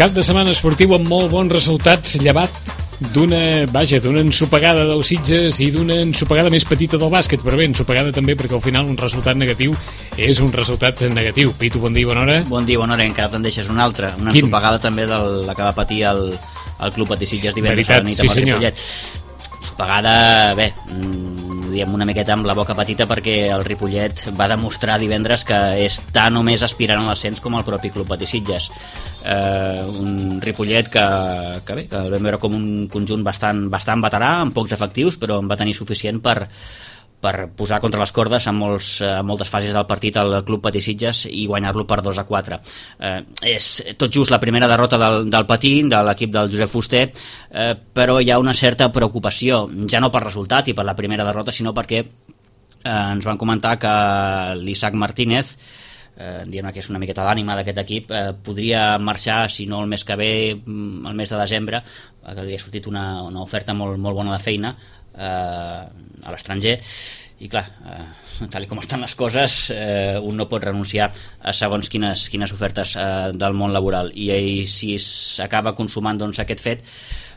Cap de setmana esportiu amb molt bons resultats, llevat d'una ensopegada del Sitges i d'una ensopegada més petita del bàsquet, però bé, ensopegada també perquè al final un resultat negatiu és un resultat negatiu. Pitu, bon dia, bona hora. Bon dia, bona hora, encara te'n deixes una altra, una ensopegada també de la que va patir el Club Patí Sitges divendres a la nit amb el Ripollet. Ensopegada, bé, diem una miqueta amb la boca petita perquè el Ripollet va demostrar divendres que està només aspirant a l'ascens com el propi Club Patí Sitges. Un Ripollet que el vam veure com un conjunt bastant veterà, amb pocs efectius, però en va tenir suficient per posar contra les cordes en moltes fases del partit al Club Patí Sitges i guanyar-lo per 2-4. És tot just la primera derrota del Patí, de l'equip del Josep Fuster, però hi ha una certa preocupació, ja no pel resultat i per la primera derrota, sinó perquè ens van comentar que l'Isaac Martínez, dient que és una miqueta l'ànima d'aquest equip, podria marxar, si no el mes que ve, el mes de desembre, que li ha sortit una oferta molt bona de feina a l'estranger, i clar, tal com estan les coses, un no pot renunciar a segons quines ofertes del món laboral, i si s'acaba consumant doncs aquest fet,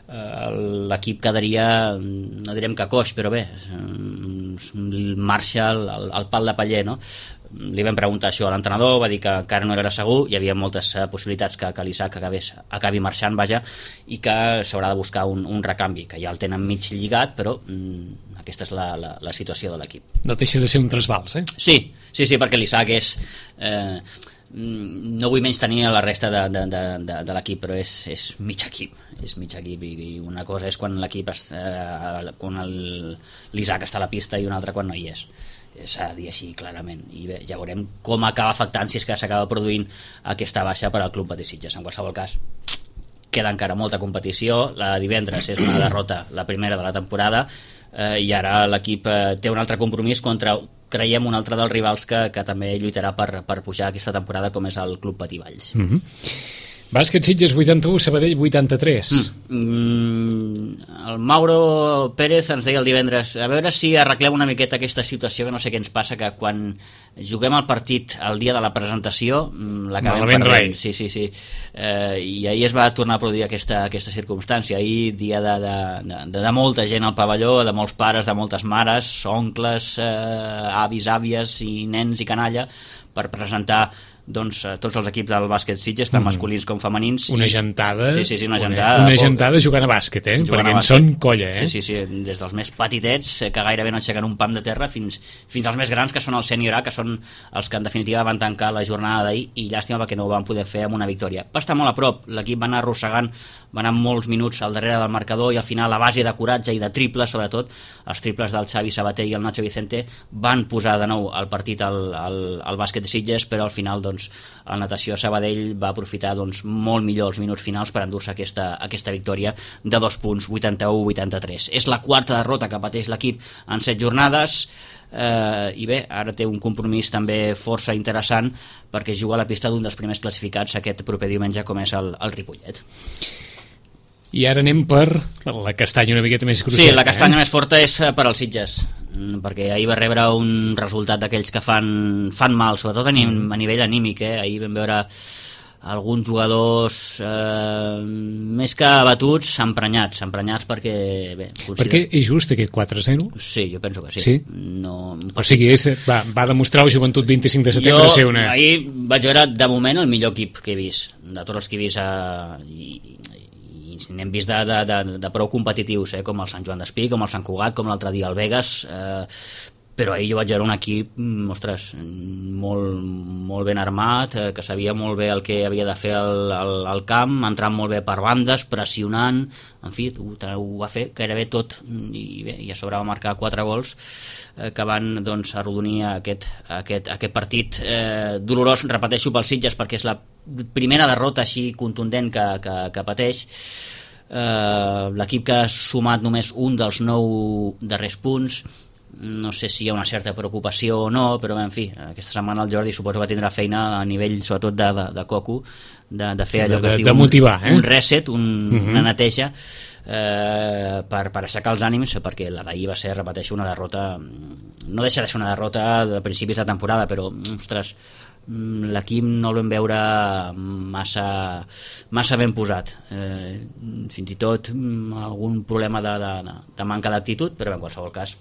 l'equip quedaria, no direm que coix, però bé, marxa el pal de paller, no? Li vam preguntar això a l'entrenador, va dir que encara no era segur, hi havia moltes possibilitats que l'Isaac acabi marxant, vaja, i que s'haurà de buscar un recanvi, que ja el tenen mig lligat, però aquesta és la situació de l'equip. No deixa de ser un trasbals, eh? Sí, perquè l'Isaac és... no vull menys tenir la resta de l'equip, però és mig equip, i una cosa és quan l'equip quan l'Isaac està a la pista i una altra quan no hi és. S'ha de dir així clarament, i bé, ja veurem com acaba afectant, si és que s'acaba produint aquesta baixa per al Club Patí Sitges. En qualsevol cas, queda encara molta competició. La divendres és una derrota, la primera de la temporada, i ara l'equip té un altre compromís contra, creiem, un altre dels rivals que també lluitarà per pujar aquesta temporada, com és el Club Patí Valls. Bàsquet Sitges 81, Sabadell 83. El Mauro Pérez ens deia el divendres, a veure si arreglem una miqueta aquesta situació, que no sé què ens passa, que quan juguem el partit el dia de la presentació l'acabem perdent. Sí. I ahir es va tornar a produir aquesta circumstància. Ahir, dia de molta gent al pavelló, de molts pares, de moltes mares, oncles, avis, àvies i nens i canalla, per presentar tots els equips del bàsquet Sitges, tant masculins com femenins. Una gentada. Sí, una gentada. Una gentada jugant a bàsquet, perquè en són colla, Sí, des dels més petitets, que gairebé no aixequen un pam de terra, fins als més grans, que són el sènior A, que són els que en definitiva van tancar la jornada d'ahir, i llàstima perquè no ho van poder fer amb una victòria. Va estar molt a prop, l'equip va anar arrossegant, va anar molts minuts al darrere del marcador, i al final, a base de coratge i de triples, sobretot els triples del Xavi Sabater i el Nacho Vicente van posar de nou el partit al bàsquet de Sitges, però al final el Natació Sabadell va aprofitar molt millor els minuts finals per endur-se aquesta victòria de 2 punts, 81-83. És la quarta derrota que pateix l'equip en 7 jornades, i bé, ara té un compromís també força interessant, perquè juga a la pista d'un dels primers classificats aquest proper diumenge, com és el Ripollet. I ara anem per la castanya una miqueta més gruixada. Sí, la castanya més forta és per als Sitges, perquè ahir va rebre un resultat d'aquells que fan mal, sobretot a nivell anímic. Ahir vam veure alguns jugadors més que abatuts, emprenyats perquè... Bé, perquè és just aquest 4-0? Sí, jo penso que sí. Sí? No... O sigui, va demostrar el Joventut 25 de setembre ser una... Ahir vaig veure, de moment, el millor equip que he vist, de tots els que he vist, n'hem vist de prou competitius, com el Sant Joan d'Espí, com el Sant Cugat, com l'altre dia el Vegas, però ahir jo vaig veure un equip, ostres, molt ben armat, que sabia molt bé el que havia de fer al camp, entrant molt bé per bandes, pressionant, en fi, ho va fer gairebé tot, i bé, i a sobre va marcar 4 gols que van arrodonir aquest partit dolorós, repeteixo, pel Sitges, perquè és la primera derrota així contundent que pateix. L'equip que ha sumat només un dels 9 darrers punts, no sé si hi ha una certa preocupació o no, però en fi, aquesta setmana el Jordi suposo que tindrà feina a nivell sobretot de coco, de fer allò que es diu motivar, un reset, una neteja, per aixecar els ànims, perquè la d'ahir va ser, repeteixo, una derrota, no deixa de ser una derrota de principis de temporada, però ostres, l'equip no el vam veure massa ben posat, fins i tot algun problema de manca d'actitud, però en qualsevol cas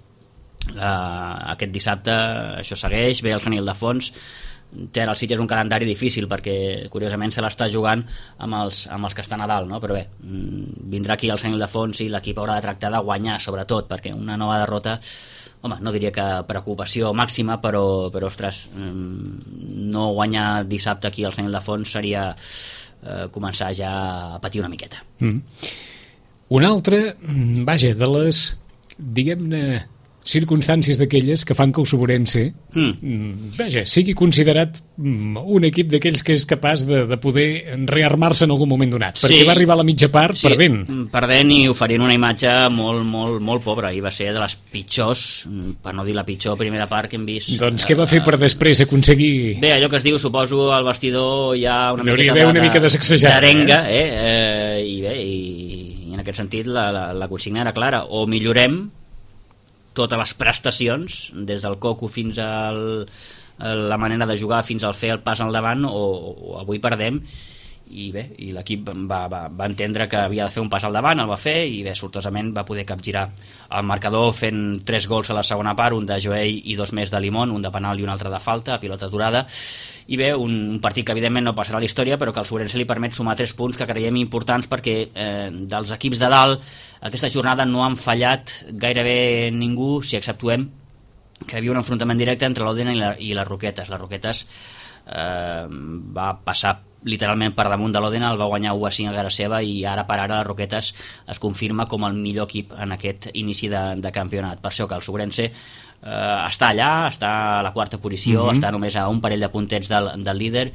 aquest dissabte això segueix, ve el Sant Ildefons. Té el Sitges un calendari difícil perquè curiosament se l'està jugant amb els que estan a dalt, no? Però bé, vindrà aquí el Sant Ildefons i l'equip haurà de tractar de guanyar, sobretot, perquè una nova derrota, home, no diria que preocupació màxima, però ostres, no guanyar dissabte aquí al Sant Ildefons seria començar ja a patir una miqueta. Un altre, vaja, de les, diguem-ne, circumstàncies d'aquelles que fan que el Sobrense vaja, sigui considerat un equip d'aquells que és capaç de poder rearmar-se en algun moment donat, perquè va arribar a la mitja part perdent i oferint una imatge molt, molt, molt pobra, i va ser de les pitjors, per no dir la pitjor primera part que hem vist. Doncs què va fer per després aconseguir... Bé, allò que es diu, suposo, al vestidor hi ha una mica de sacsejada, d'arenga, i bé, i en aquest sentit la consigna era clara: o millorem totes les prestacions, des del coco fins a la manera de jugar, fins al fer el pas al davant, o avui perdem. I bé, i l'equip va entendre que havia de fer un pas al davant, el va fer, i bé, sortosament va poder capgirar el marcador fent 3 gols a la segona part, un de Joey i 2 més de Limón, un de penal i un altre de falta, a pilota aturada. I bé, un partit que evidentment no passarà a la història, però que al Sobrense li permet sumar 3 punts que creiem importants, perquè dels equips de dalt aquesta jornada no han fallat gairebé ningú, si exceptuem que hi havia un enfrontament directe entre l'Òdena i les Roquetes. Les Roquetes va passar literalment per damunt de l'Òdena, el va guanyar 1-5 a casa seva, i ara per ara les Roquetes es confirma com el millor equip en aquest inici de campionat. Per això que el Sobrense està allà, està a la 4a posició, està només a un parell de puntets del líder,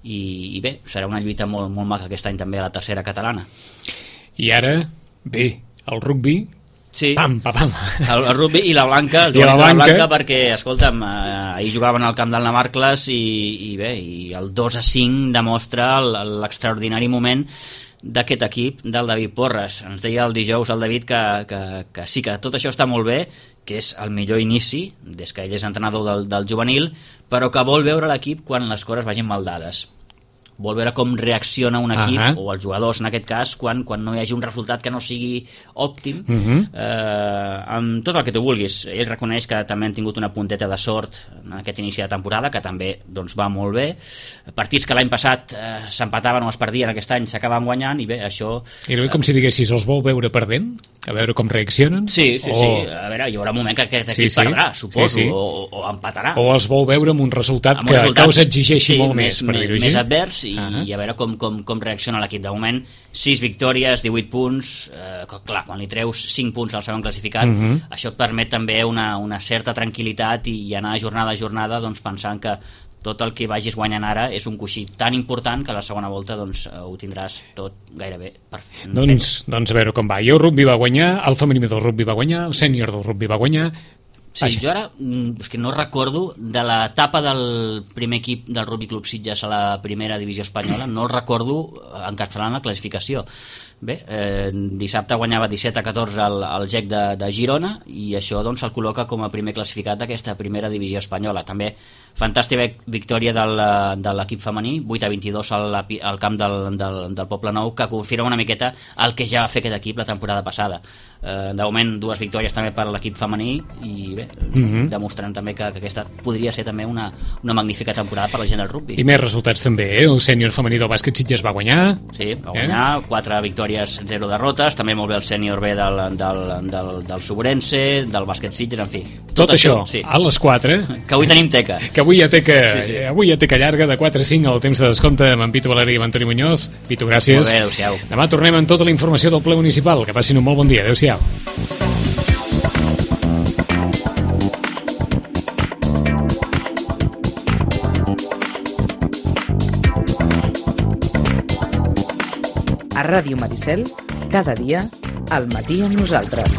i bé, serà una lluita molt, molt maca aquest any també a la tercera catalana. I ara, bé, el rugby... Sí, pam, pam. El rugby i la Blanca, la Blanca, perquè, escolta'm, ahir jugaven al camp del Navarcles i bé, i el 2-5 demostra l'extraordinari moment d'aquest equip del David Porres. Ens deia el dijous el David que sí, que tot això està molt bé, que és el millor inici des que ell és entrenador del juvenil, però que vol veure l'equip quan les coses vagin mal dades. Vol veure com reacciona un equip, o els jugadors en aquest cas, quan no hi hagi un resultat que no sigui òptim, amb tot el que tu vulguis. Ell reconeix que també han tingut una punteta de sort en aquest inici de temporada, que també doncs, va molt bé. Partits que l'any passat s'empataven o es perdien, aquest any s'acaben guanyant, i bé, això... I com si diguessis, els vol veure perdent? A veure com reaccionen? Sí. A veure, hi haurà un moment que aquest equip perdrà, suposo, o empatarà. O els vol veure amb un resultat que us exigeixi molt més, per dir-ho així. Més advers, i a veure com reacciona l'equip. De moment 6 victòries, 18 punts, clar, quan li treus 5 punts al segon classificat, això et permet també una certa tranquil·litat i anar jornada a jornada doncs, pensant que tot el que vagis guanyant ara és un coixí tan important que a la segona volta doncs, ho tindràs tot gairebé perfecte. Doncs a veure com va. I el rugby va guanyar, el femení del rugby va guanyar, el sènior del rugby va guanyar. Sí, jo ara és que no recordo de l'etapa del primer equip del Rugby Club Sitges a la primera divisió espanyola, no el recordo encapçalant la classificació. Bé, dissabte guanyava 17-14 el GEC de Girona, i això doncs, el col·loca com a primer classificat d'aquesta primera divisió espanyola. També fantàstica victòria de l'equip femení, 8-22 al camp del Poble Nou, que confirma una miqueta el que ja va fer aquest equip la temporada passada. De moment 2 victòries també per l'equip femení, i bé, demostrant també que aquesta podria ser també una magnífica temporada per la gent del rugby. I més resultats també, el sènior femení del bàsquet Sitges va guanyar. Sí, va guanyar, 4 victòries, 0 derrotes, també molt bé el sènior B del Sobrense, del bàsquet Sitges, en fi. Tot això, sí. A les 4. Que avui tenim teca. Que avui hi ha teca, avui hi ha teca llarga de 4 a 5 al temps de descompte amb en Pitu Valeri i amb Antoni Muñoz. Pitu, gràcies. Molt bé, adéu-siau. Demà tornem amb tota la informació del ple municipal. Que passin un molt bon dia. Adéu-siau. A Ràdio Maricel, cada dia, al matí amb nosaltres.